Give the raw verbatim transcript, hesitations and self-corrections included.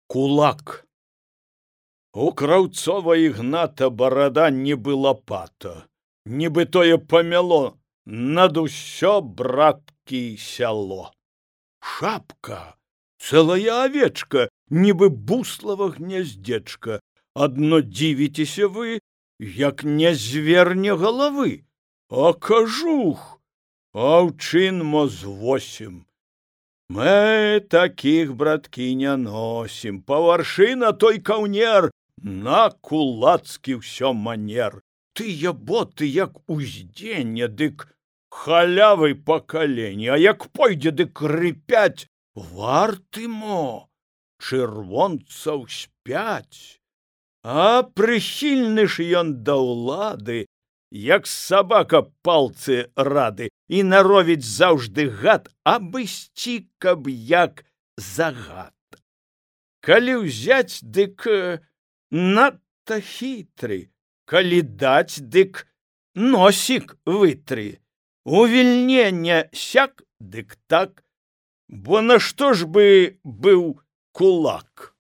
Кулак. У Краўцова Ігната барада нібы лапата, нібы тое памяло над усё браткі сяло. Шапка, цэлая авечка, нібы буслава гняздзечка. Адно дзівіцеся вы, як не зверне галавы. А кажух, аўчын мо з восем. Мы такіх, браткі, не носім. Паваршы на той каўнер, на кулацкі ўсё манер. Тыя боты, як уздзенне, дык халявы па калені, а як пойдзе, дык рыпяць, варты мо, чырвонцаў спяць. А прыхільны ж ён да ўлады, як сабака палцы рады, і наровіць заўжды гад, абысці, каб як загад. Калі ўзяць, дык надта хітры, калі даць, дык носік вытры. Увільне не сяк, дык так, бо нашто ж бы быў кулак?